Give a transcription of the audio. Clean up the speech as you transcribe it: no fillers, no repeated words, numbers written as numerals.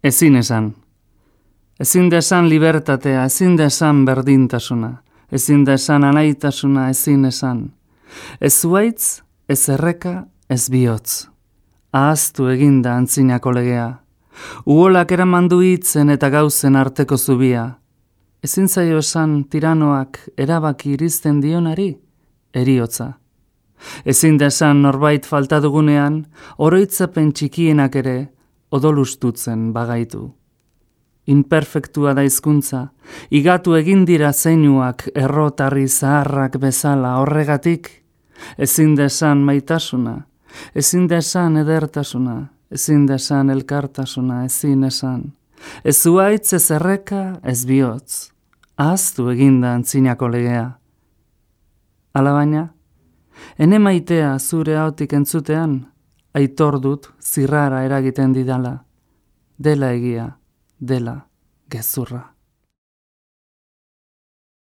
Ezin esan. Ezin da esan libertatea, ezin da esan berdintasuna, ezin da esan anaitasuna, ezin esan. Ez zuaitz, ez erreka, ez bihotz. Ahaztu eginda antzinako legea. Uholak eramandu hitzen eta gauzen arteko zubia. Ezin zaio esan tiranoak erabaki irizten dionari, heriotza. Ezin da esan norbait falta dugunean, oroitzapen txikienak ere odolustutzen bagaitu. Inperfektua da hizkuntza, igatu egin dira zeinuak errotarri zaharrak bezala horregatik, ezin da esan maitasuna, ezin da esan edertasuna, ezin da esan elkartasuna, ezin esan. Ez zuaitz, ez erreka, ez bihotz. Ahaztu eginda antzinako legea. Alabaina, ene maitea zure ahotik entzutean, aitor dut zirrara eragiten didala. Dela egia, dela gezurra.